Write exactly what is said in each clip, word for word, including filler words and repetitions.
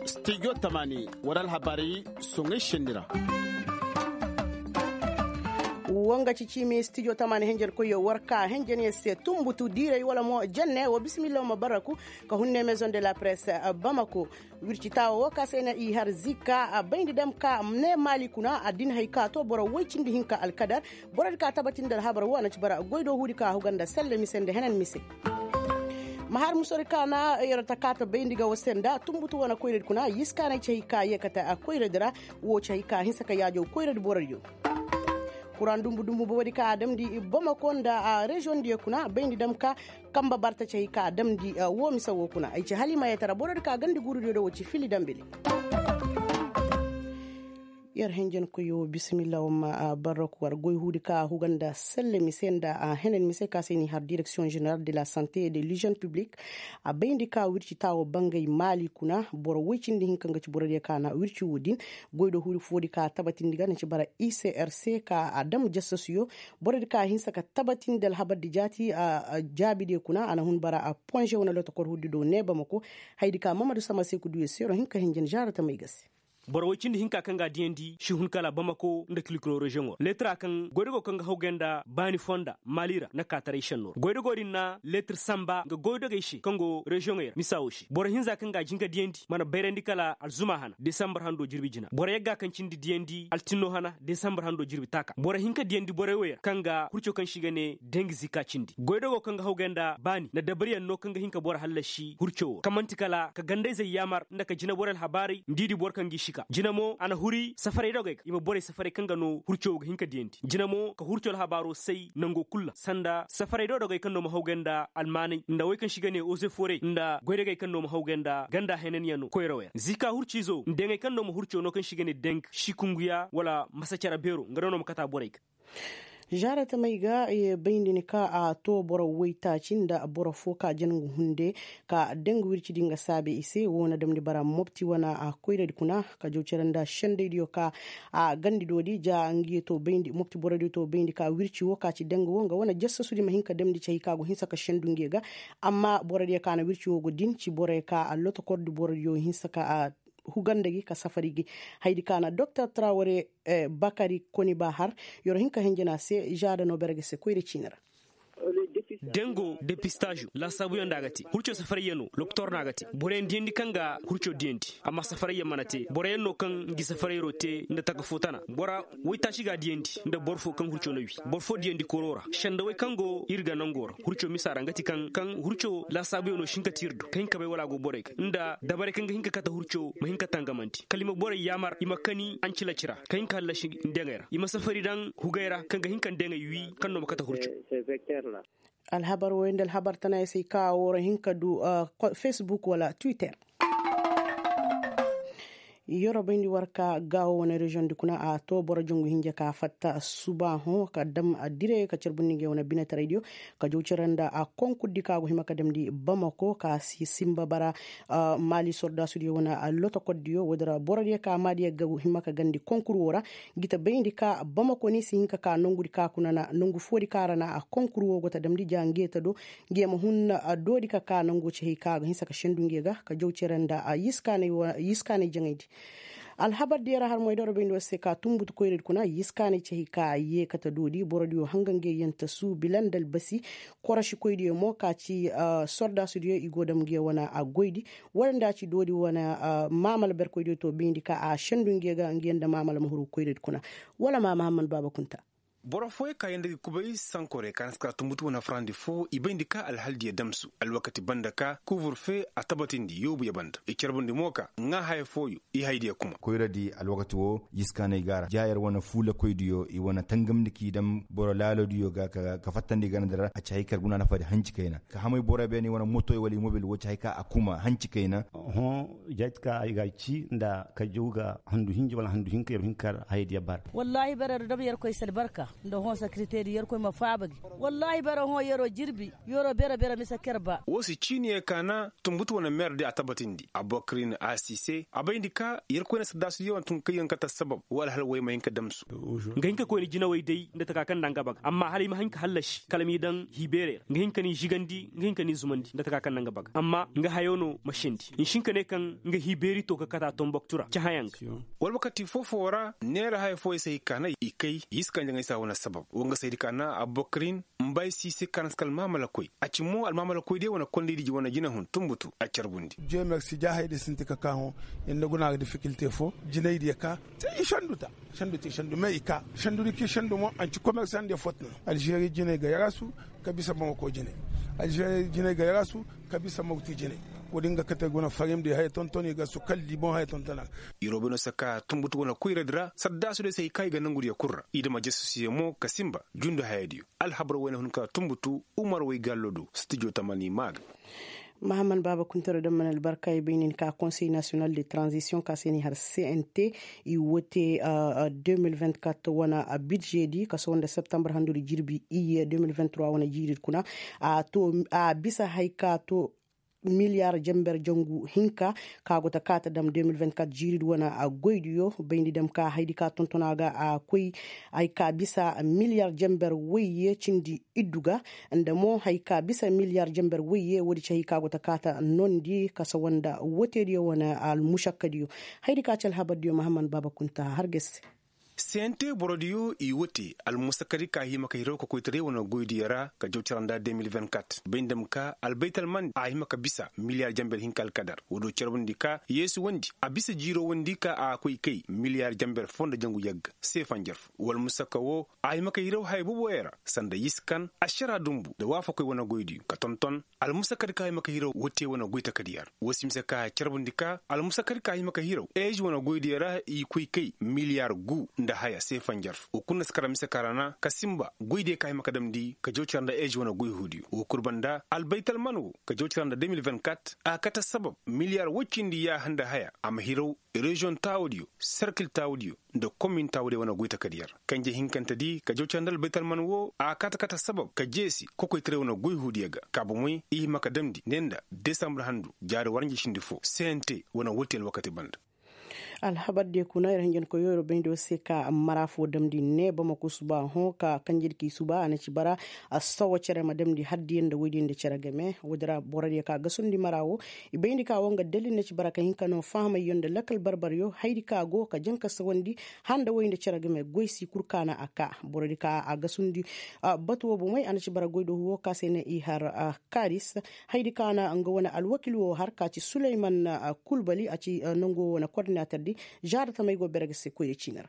Studio tamani wara alhabaari soŋay senni ra. Wo nga ci ciimi studio tamani henjen koyyo war ka henjen yer se tunbutu diiray wala mo jenne wo bismillah wo ma barraku ka hunne maison de la presse bamako. Wirci taawo wo ka se na i har zikka a bayndi dam ka ne maali kuna addin hay ka to boro woy cindi hinka alkadar. Borodi ka tabatin nda alhabar wo a na ci bara goy do huudi ka huga nda selle mise nda henen mise. Ma har musori ka na yer ta ka ta bayndi ga wo se nda tunbutu wane koyradi kuna yiskaanay ci hay ka yeekate a koyradi ra. Wo ci hay ka hinsa ka yaajaw koyradi borodiyo. Kuraŋ dumbu dumbu borodi ka a damndi bamako nda reziyoŋ diyo kuna bayndi dam ka kamba barta ci hay ka a damndi. Wo mise wo kuna ay ci halimayetara borodi ka gandi guurudiyo do wo ci fili dambili. Yer henjen koyo bisimilla wamma barrok war goy huudi ka huga nda selle mise nda a henen mise ka se ni har direksiyoŋ jeneral de la sante de lijen piblik. A bayndi ka wirci taawo bangay maali kuna boro woy cindi hinka nga ci borodiyo ka na wirci wo din. Goy do huudi foodi ka tabatindi ga na ci bara icrc ka a dam jasasuyo. Borodi ka hinsa ka tabatindi alhabardi jaati a jaabidiyo kuna a na hun bara a ponze wane lotokor huudi do ne bamako. Haydi ka mamadu sama se ku duyo se ro hinka henjen zaara tamay ga se. Boro woy cindi hinka kaŋ ga a diyandi si hun kala bamako nda kilkilo reziyoŋo ra leetira kaŋ goydogo kaŋ ga hawgay nda baani fonda maali ra na kaataray senno ra goydogo din na leetir samba nga goydogey se kaŋ go reziyoŋey ra misa wo se boro hinza kaŋ ga a jin ga diyandi mana bayrandi kala alzuma hana desambar hando jirbi jina boro yagga kaŋ cindi diyandi altinno hana desambar hando jirbi taaka boro hin ka diyandi borey wey ra kaŋ ga hurco kaŋ se i ga ne dengi zika cindi goydogo kaŋ ga hawgay nda baani nda dabariyaŋ no kaŋ ga hin ka boro hallasi hurco wo ra kaŋ man'ti kala ka gandayzey yaamar nda ka jinaborey alhabaarey nda i di boro kaŋ g'i sika jina mo a na huri safaray dogey ga i ma borey safaray kaŋ ga no hurco wo ga hin ka diyandi jina mo ka hurco alhabaaro say nango kul ra sanda safaray dodogey kaŋ no ma hawgay nda almaanay nda wey kaŋ se i ga ne ozeforey nda goydogey kaŋ no ma hawgay nda ganda henanyaŋo koyrawey ra zika hurciizo nda yaŋey kaŋ no ma hurco no kaŋ se i ga ne deng sikunguya wala masa care beero nga no no ma kata borey ga. Zaara tamey ga bayndi ni ka a to boro woytaaci nda boro fo ka jangu hunde ka deng wircidi nga saabe i se wo na damndi bara mopti wane a koyradi kuna ka jaw cere nda sendaydiyo ka a gandi doodi ja nga ye to bayndi mopti borodiyo to bayndi ka wirci wo ka ci deng wo nga wane jassasudi ma hin ka damndi ci hay ka go hinsa ka sendu nga ye ga. Amma borodiyo ka na wirci wo go din ci boroyo ka a lotokordi borodiyo hinsa ka a huganda gi ka safari gi. Haydi ka na doktor traware bakari koni ba har yer hin ka henjena se zaada no bere ga se koyra ciini ra. Dengo depistazo laasaabuyaŋ nda a ga te hurco safarayyaŋo lokotor no a ga te boroyaŋ diyandi kaŋ ga hurco diyandi amma safarayyaŋ mana te boroyaŋ no kaŋ ngi safarayroo te nda taka fo tana bora woytaaci ga a diyandi nda boro fo kaŋ hurco na wi boro fo diyandi koroo ra sendawey kaŋ go ir ga nangoo ra hurco misa ra nga ti kaŋ kaŋ hurco laasaabuyaŋo si hin ka te ir do ka hin ka bay wala a go borey ga nda dabarey kaŋ ga hin ka kate hurco ma hin ka tangamandi kala i ma borey yaamar i ma kani ancilaci ra ka hin ka hallasi ndeŋey ra i ma safari daŋ hugey ra kaŋ ga hin ka ndeŋey wi kaŋ no ma kate hurco. Alhabar woy nda alhabar tana ay se ay ka woo ra hin ka du facebook wala twitter. Yoro bayndi war ka gaawo wane reziyoŋ di kuna a to boro jongu hinja ka fatta suba hõ ka dam a dire ka carbundi ngey wane binataraydiyo ka jaw cere nda a konkurdi ka go hima ka damndi bamako ka si simba bara. Maali sordaasudiyo wane lotokordiyo woodi ra borodiyo ka maadiyo ga hima ka gandi konkur woo ra. Gita bayndi ka bamako ni si hin ka ka nongudi ka kuna na nongu foodi ka ra na a konkur woo go ta damndi ja nge ta do. Nge ma hun doodi ka ka nongu ci hay ka ga hinsa ka sendu nge ga ka jaw cere nda a yiskaanay jaŋaydi. Alhabar diyo ra har moy doro bayndi war se ka tunbutu koyradi kuna yiskaanay ci hay ka yee kate doodi borodiyo hanga nge yanta suubi landa albasi. Korosikoydiyo mo ka ci sordaasudiyo i go dam nge wane a goydi. Wala nda a ci doodi wane maamala berkoydiyo to bayndi ka a sendu nge ga nge nda maamala ma huru koyradi kuna. Wala ma mahamman baaba kunta. Boro fooyaŋ ka yanda ga kubay sankorey ka na si kara tunbutu wane farandi fo i bayndi ka alhaldiyo damsu alwakati banda ka kuuburfe a tabatindi yoobuyo banda i carbundi mo ka ŋaa haya fooyo. I haydiyo kuma koyradi alwakati woo yiskaanay ga a ra jaayer wane fuulakoydiyo i wane tangamndi k'i dam boro laaloodiyo ga ka fattandi ganda ra a ci hay kar guna nafadi hanci kayna ka hamay boro beene i wane motoy wala i mobil woo ci hay ka a kuma hanci kayna. Hõ jayt ka ay ga ci nda ka jaw ga handu hinja wala handu hinka yer hinkar haydiyo bara. Wallaahi bereero dam yerkoy si albarka. Nda hõ sekiriteedi yerkoy ma faaba gi. Wallaahi bara hõ yeroo jirbi, yeroo bere bere mise ker ba. Woo si ciiniyey kaana tumbutu wane meerdi a tabatindi abokrin a si se a bayndi ka yerkoy na saddaasudiyo wane tun kay yaŋ kate sabab woo alhal wey ma hin ka damsu. Nga hin ka koyne jinawey day nda taka kaŋ nda nga baga amma hala i ma hin ka hallasi kala m'i daŋ hiibeerey ra nga hin ka ni žigandi nga hin ka ni zumandi nda taka kaŋ nda nga baga amma nga hayo no ma sendi i si hin ka ne kaŋ nga hiibeeri to ka kate a tomboktu ra cahãyaŋ ga. Wala wakati foo-foo ra neera haya fooyey se i kaanay i kay i si kaŋ jaŋay se a wane sabab woo nga saydi kaana abokrin mba ay si i se kaana si ka almaamalakoy a ci mo almaamalakoy diyo wane kondaydi wane jinahun tumbutu a carbundi. Jeemer si jaahaydi sinti ka kaa hõ. Ir nda guna ga difikilte foo jinaydiyo kaa te i sandu ta. Sandu te sandu me i kaa sandudi kaŋ i sandu mo a nci komersandiyo foo ta no. Alžeri jinay ga yaraasu ka bisa bamako jinay. Alžeri jinay ga yaraasu ka bisa mawti jinay. Wo-din ga kate guna farimdi haya tonton i ga su kala di boŋ haya tonton a. Iroo bay no si ka tumbutu wane koyradi ra saddaasudiyo se hay ka i ga nongudiyo kul ra i dama jesusiyo mo ka sinba jundu hayadiyo. Alhabar wayna hun ka tumbutu umar way gallo do stijo tamani maa ga. Mahaman baaba kuntaro daŋ mana albarka i bay nin ka konsey nasiyonal de tranzisiyoŋ ka se ni har cnt i wote. De mil vingt-quatre wane bidžedi ka sohõ nda septembar handudi jirbi iyye de mil vingt-trois wane jiiridi kuna a to a bisa hay ka to miliyar jamber jangu hinka ka go ta kaata dam de mil vingt-quatre jiiridi wane goydiyo bayndi dam ka haydi ka tonton a ga a koy ay ka bisa miliyar jamber wayye cindi iddu ga nda mo hay ka bisa miliyar jamber wayye woodi ci hay ka go ta kaata nondi kasa wanda woteediyo wane almusakkadiyo. Haydi ka ci alhabardiyo mahaman baaba kunta har ga se. Sente borodiyo i wote almusakkadi ka hima ka hiraw ka koytaray wane goydiyo ra ka jaw cara nda de mil vingt-quatre bay nda ma ka albaytalmandi a hima ka bisa miliyar jamber hinka alkadar woodiyo carbundi ka yeesu wandi a bisa jiiro wandi ka a koy kay miliyar jamber foo nda jangu yagga seefa njarfu wala musakka woo a hima ka hiraw haya booboyaŋ ra sanda yiskan ašara dumbu nda waafakoy wane goydiyo ka tonton almusakkadi ka hima ka hiraw wote wane goytakadiyaŋ ra woo si mise ka carbundi ka almusakkadi ka hima ka hiraw eezi wane goydiyo ra i koy kay miliyar gu nda haya seefa njarfu woo kul na si kara mise ka ra na ka sinba goydiyo ka hima ka damndi ka jaw cara nda eezi wane goy huudiyo woo kul banda albaytalman woo ka jaw cara nda de mil vingt-quatre a kate sabab miliyar woy cindi yaaha nda haya a ma hiraw reziyoŋ taawudiyo serkil taawudiyo nda komin taawudiyo wane goy takadiyar kanje hinkantedi ka jaw cara nda albaytalman woo a kaate kate sabab ka jeesi kokoytaray wane goy huudiyo ga ka bomey i hima ka damndi ne nda desambur handu jaari waranji cindi foo cnt wane wooti alwakati banda. Alhabardiyo kuna ir hinjankoyoo ir bayndi war se ka mara foo damndi ne bamako suba hõ ka kanjedi k'i suba a na ci bara. Sawa cere ma damndi haddiyo nda woydiyo nda cere game woodi ra borodiyo ka gasundi mara woo i bayndi ka woo nga dalil na ci bara ka hin ka noo fahamayyo nda lakal barbaryo haydi ka go ka jaŋ ka sawandi handa woy nda cere game goy si kul kaana a kaa borodi ka a gasundi. Batu woo bomey a na ci bara goy do huwo ka se ne i har karis. Haydi kaana nga wane alwakil woo har ka ci suleyman kulbali a ci nongu woo wane kordinaterdi. Zaara tamey go bere ga se koyra ciini ra.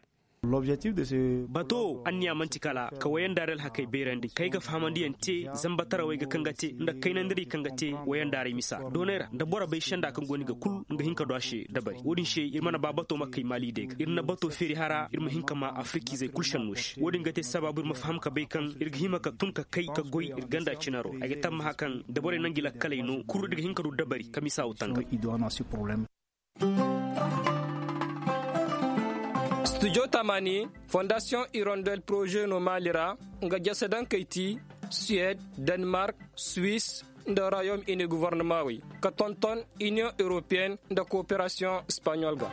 Bato anniya man'ti kala ka wayandaaray alhakey bayrandi kay ga fahamandiyaŋ te zamba tarawey ga kaŋ ga te nda kaynandirey kaŋ ga te wayandaaray misa doonay ra nda boro bay senda kaŋ go ni ga kul nga hin ka du a se dabari wo-din se ir mana ba bato ma kay maali day ga ir na bato feeri hara ir ma hin ka ma afrikizey kul senno se wo-din ga te sabaabu ir ma faham ka bay kaŋ ir ga hima ka tun ka kay ka goy ir ganda cinaro ay ga tammaha kaŋ da borey nangi lakkaley no kul ir ga hin ka du dabari ka misa wo tangam. Studio tamani fondasiyoŋ irondel poroze no maali ra nga jese daŋ kay ti suwed, denmark, swis, nda rayom ini govornamaŋ wey ka tonton iniyoŋ europeyen nda kooperasiyoŋ espaɲol ga.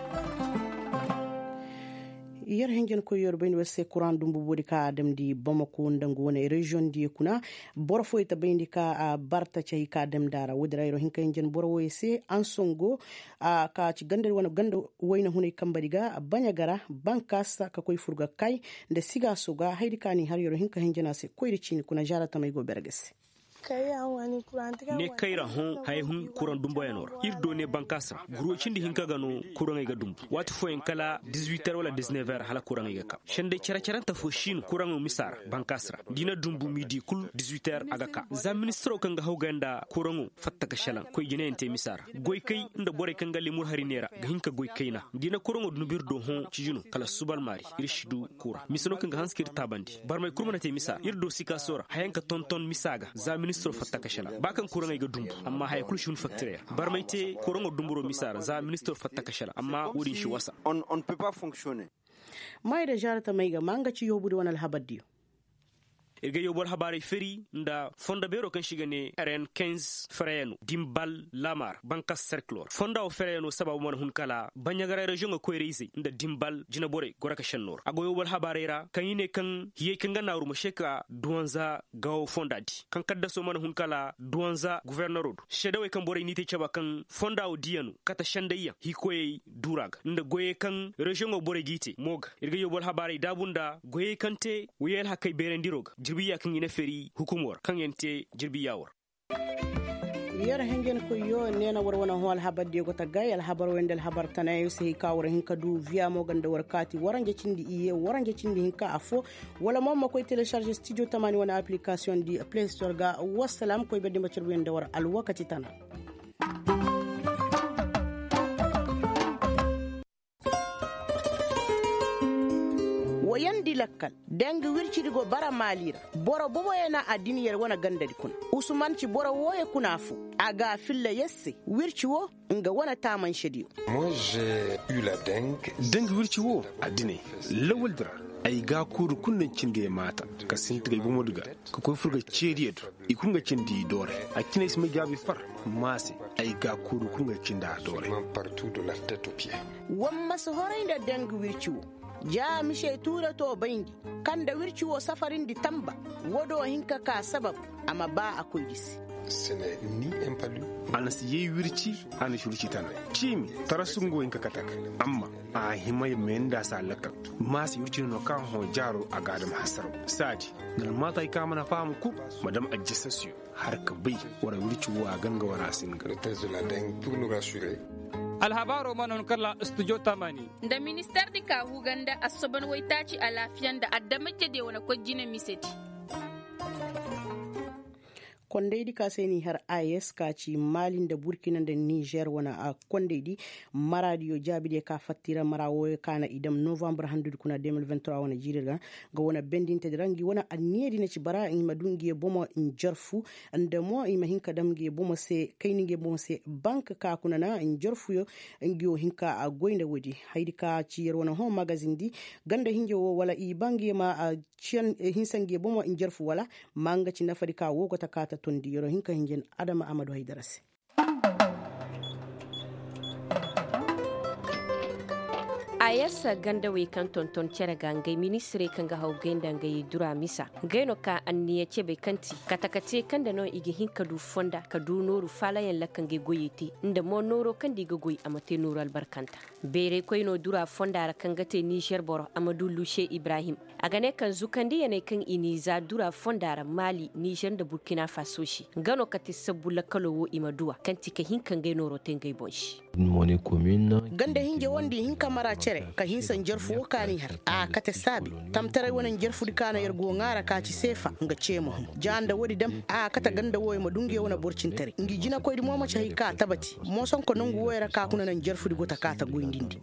Yer hinjinkoy yer bay ni war se kuraŋ dumbu boodi ka a damndi bamako nda nga wane reziyoŋ diyo kuna. Boro fooyey ta bayndi ka a bar taci hay ka a damndi a ra woodi ra yer wo hin ka hinjin boro wooyey se ansongo. Ka ci ganda wane ganda wayna hunay kambadi ga baɲa gara bankaasa ka koy fur ga kay nda sigaaso ga hayadi ka ni har yer wo hin ka hinjin a se koyri ciini kuna zaara tamey go bere ga se. Ne kayra hõ haya hun kuraŋ dumboyanoo ra ir do ne bankaas ra gurwey cindi hinka ga no kuraŋey ga dumbu waati fooyaŋ kala dizuwiter wala dizinever hala kuraŋey ga ka senday care-carante fo si no kuraŋo misa ra bankaas ra da i na dumbu miidi kul dizuwiter a ga ka za ministiro kaŋ ga hawgay nda kuraŋo fatta ka šelaŋ koy jinayante misa ra goykay nda borey kaŋ ga lemur hari neera ga hin ka goy kayna da i na kuraŋo dumbu ir do hõ ciji no kala subalmaari ir si du kura mise no kaŋ ga hanse ka ir taabandi barmay kul mana te misa ir do sikaaso ra hayaŋ ka tonton misa ga za ministiro fatta ka šelaŋ ba kaŋ kuraŋey ga dumbu amma haya kul si hun faktirey ra barmay te kuraŋo dumburo misa ra za ministiro fatta ka šelaŋ amma wo-din si wasa. Maayda zaara tamey ga ma nga ci yoobudi wane alhabar diyo. Ir ga yobal habaarey feri nda fondo beeroo kaŋ se i ga ne ren kinze fereyano dimbal lamar bankas serkilor fonda woo fereyano sabaabu mana hun kala baɲagaray reziyoŋo koyra-izey nda dimbal jineborey goro ka šennoo ra a go yobal habaarey ra kaŋ i ne kaŋ hiyey kaŋ ga naaru ma se ka duwanza gaawo fonda di kaŋ kaddasoo mana hun kala duwanza gofornero do seedawey kaŋ borey n'i te caba kaŋ fonda woo diyano kate sendayyaŋ hikoyey duura ga nda goyey kaŋ reziyoŋo borey g'i te mo ga ir ga yobal habaarey daabu nda goyey kaŋ te woyey alhakey beerandiro ga jirbiya kaŋ i na feri hukumo ra kaŋ yaŋ te jirbiya war. Yer hinjinkoyyo neena war wane hõ alhabar diyo go ta gay alhabar wayanda alhabar tanayaŋ se hay ka war hin ka du viya mo ganda war kaati waranja cindi iyye waranja cindi hinka affo wala mo ma koy telecharge studio tamaani wane application di play store ga. Wassalam koy berdi ma carbu yaŋ da war alwakati tana. Wayandi lakkal, dangi wircidi go bara maali ra. Boro boboyaŋ na addini yer wane gandadi kuna. Usuman ci boro wooyo kuna fo. A ga a filla yer se wirci wo nga wane taamansediyo. Dangi wirci wo addiney lawaldi ra. Ay ga a kuuru kulu naŋ cindi ay maata ka sinti ga ay bomodi ga ka koy fur ga ceediyo do. I kulu nga cindi i doore. A cine ay si may gaabi far maase. Ay ga a kuuru kulu nga cindi a doore. War ma si horay nda dangi wirci wo. Ja mise tuure to bayndi kaŋ nda wirci wo safarindi tamba. Wo do hin ka ka sabab a ma ba a koy gisi. A na si yay wirci. A na si wirci tana ciimi tarasu nga wo hin ka kate ga. Amma a hima ya mayandi a si a lakkal. Ma si wirci no no kaŋ hõ jaaro a ga a dam hasaraw saadi. Nda almaatay kaŋ a mana faham kul ma dam ajjasasiyo. Har ka bay wara wirci wo a ganga wara singa. Alhabaaro mana hun kala studio tamani. Nda minister di ka huganda assoban waytaaci alaafiya nda adamajediyo wane koy jine misedi. Kondaydi ka se n'i har a s ka ci maali nda burkina nda nizer wane a kondaydi. Maraadiyo jaabidiyo ka fattira mara wooyo ka na i dam novambar handudi kuna de mil vingt trois wane jiiri ra. Nga wane bendintedi ra ngi wane anniyadi na ci bara i ma du ngi bomo njarfu. Nda mo i ma hin ka dam ngi bomo se kayni ngi bomo se bank ka kuna na njarfuyo. Ngi wo hin ka a goy nda woodi haydi ka ci yer wane hõ magazin di. Ganda hinja wo wala i ba ngi ma a ciyan hinsa ngi bomo njarfu wala ma nga ci nafadi ka wo go ta ka ta tondi yer wo hin ka hinja adama amadu haydara se. Ayarsa gandawey kaŋ tonton cere ga ngey ministirey kaŋ ga haw gay nda ngey dura misa. Ngey no ka anniya cebey kaŋ ti kate kate kaŋ nda no i ga hin ka du fonda ka du nooru faalayaŋ lakka ngey goyey te nda mo nooro kaŋ nda i ga goy a ma te nooru albarkanta. Beeraykoy no dura fonda ra kaŋ ga te nizer boro a ma du luse ibrahim. A ga ne kaŋ zukandiyaney kaŋ i n'i za dura fonda ra maali nizer nda burkina faso se nga no kate sabbu lakkalo wo i ma duw'a kaŋ ti ka hin ka ngey nooro te ngey boŋ se. Ganda hinja wo nda i hin ka mara cere ka hinsa njarfu wo ka n'i har a kate saabi. Tamtaray wane njarfudi ka na yer go ŋaara ka ci seefa nga ceema hun ja nda woodi dam a kate ganda wooyo ma du nge wane borcintaray ngi jinakoydi mo ma ci hay ka tabati. Moosonko nongu wooyo ra ka kuna naŋ njarfudi go ta ka ta goyndi nda.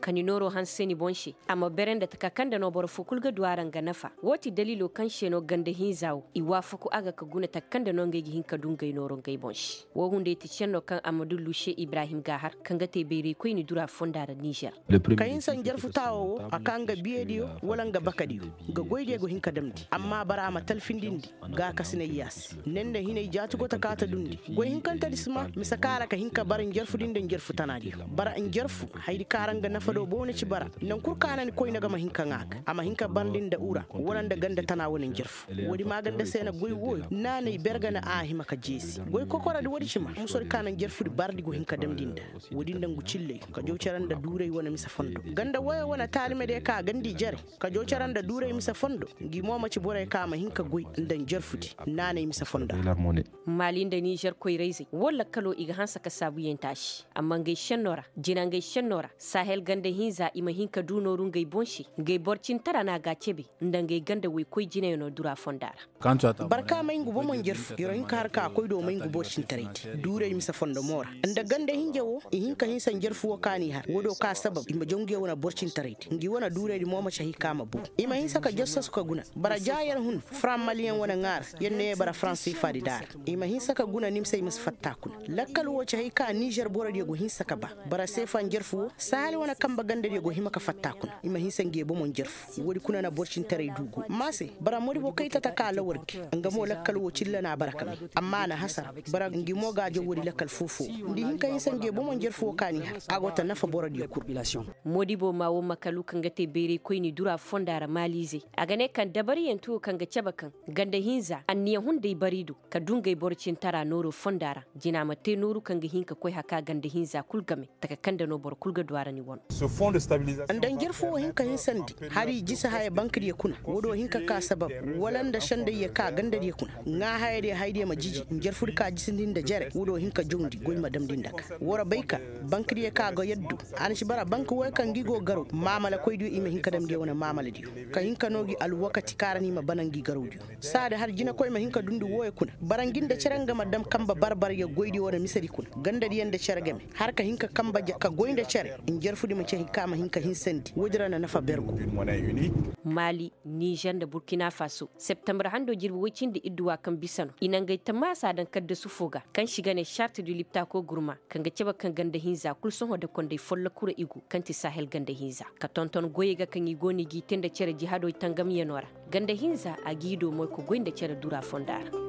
Ka ni nooro hanse ni boŋ se. A ma bere nda taka kaŋ nda no boro fo kulu ga du a ra nga nafa. Woo ti daliilo kaŋ se no ganda hinza wo i waafaku a ga ka guna taka kaŋ nda no ngey ga hin ka du ngey nooro ngey boŋ se. Woo hunday ti senno kaŋ a ma du luse ibrahim ga a har kaŋ ga te bayraykoyni dura fonda ra nizer. Ka hinsa njarfu taawo wo a ka nga biyediyo wala nga bakadiyo. Nga goydiyo go hin ka damndi amma bara a ma talfindindi. Gaakasinay yaasi ne nda hinay jaati go ta kaata dundi. Goy hinkantedi si ma mise kaara ka hin ka bara njarfudi nda njarfu tanaadiyo bara njarfu. Hayadi kaara nga nafa do bow na ci bara. Naŋ kul kaana ni koyne ga ma hin ka ŋaa ga a ma hin ka barndi nda ura wala nda ganda tana wane njarfu. Woodi maaganda se na goy wooyo naanay bergana a hima ka jeesi goy kokoradi woodi ci ma musodi kaana njarfudi bardi go hin ka damndi nda. Woodi nda ngu cilley ka jaw cere nda duuray wane mise fondo ganda woyo wane taalimediyo ka gandi jere. Ka jaw cere nda duuray mise fondo. Ngi mo ma ci borey ka ma hin ka goy nda njarfudi naanay mise fondo. Maali nda nizer koyrayzey woo lakkalo i ga hanse ka saabuyaŋ taasi amma ngey senno ra jina ngey senno ra sahel ganda hinza i ma hin ka du nooru ngey boŋ se. Ngey borcintara na a ga a cebe nda ngey ganda woykoy jinayaŋo dura fonda ra. Barka may ngu bomo njarfu yer wo hin ka har ka koy do may ngu borcintaraydi duuray mise fondo mo ra. Nda ganda hinja wo i hin ka hinsa njarfu wo ka n'i har woo do. ka sabab i ma jaw ngi wane borcintaraydi ngi wane duuraydi mo ma cahi ka ma buru. I ma hinsa ka jassasu ka guna bara ja yer hun faraŋ maliyaŋ wane ŋaara yer ne yer bara faraŋ seefaadi daara. I ma hinsa ka guna nimsey ma si fatta kuna. Lakkal wo cahi ka nizer borodiyo go hinsa ka ba bara seefa njarfu wo sahali wane kanba gandadiyo go hima ka fatta kuna. I ma hinsa ngi bomo njarfu woodi kuna na borcintaray du go amma se bara modibo kay tata ka lawar gi. Nga mo lakkal wo cilla na bara ka me amma a na hasara. Bara ngi mo ga a jaw woodi lakkal foo-foo wo nda i hin ka hinsa ngi bomo njarfu wo ka n'i har a go ta nafa borodiyo kul. Moodibo ma woo makalu kaŋ ga te bayraykoyni dura fonda ra maaliizey a ga ne kaŋ dabariyanti woo kaŋ ga cabe kaŋ ganda hinza anniya hunday bari do ka du ngey boro cintara nooro fonda ra. Jina ma te nooru kaŋ ga hin ka koy haka ganda hinza kul game taka kaŋ nda no boro kul ga du a ra ni wano. Nda njarfu woo hin ka hinsandi hari jisi haya bankadiyo kuna woodiyo hin ka ka sabab wala nda sendayyo ka gandadiyo kuna ŋaahayadiyo hayadiyo ma jiji njarfudi ka jisindi nda jere woodiyo hin ka jawndi goy ma damndi nda ka war bay ka bankadiyo ka ga yaddu. A na si bara bank wooyo kaŋ ngi go garaw maamalakoydiyo i ma hin ka dam ngi wane maamaladiyo ka hin ka noo gi alwakati kaŋ ra no i ma bana ngi garawdiyo. Saadi har jinakoy ma hin ka dundi wooyo kuna bara ngi nda cere nga ma dam kanba bar-baryo goydiyo wane misedi kuna gandadiyo nda cere game har ka hin ka kanba ja ka goy nda cere. Njarfudi ma cahi ka ma hin ka hinsandi woodi ra na nafa ber go. Maali, nizer nda burkina faso septembre hando jirbi woy cindi idduwa kaŋ bisa no i na ngey tamaasa daŋ kaddasu foo ga kaŋ se i ga ne sart du liptako gurma kaŋ ga cabe kaŋ ganda hinza kul sohõ nda konday follokura i go kaŋ ti sahel ganda hinza ka tonton goyey ga kaŋ i go no i g'i te nda cere jihadoy tangamyanoo ra. Ganda hinza a g'i doo moy ka goy nda cere dura fonda ra.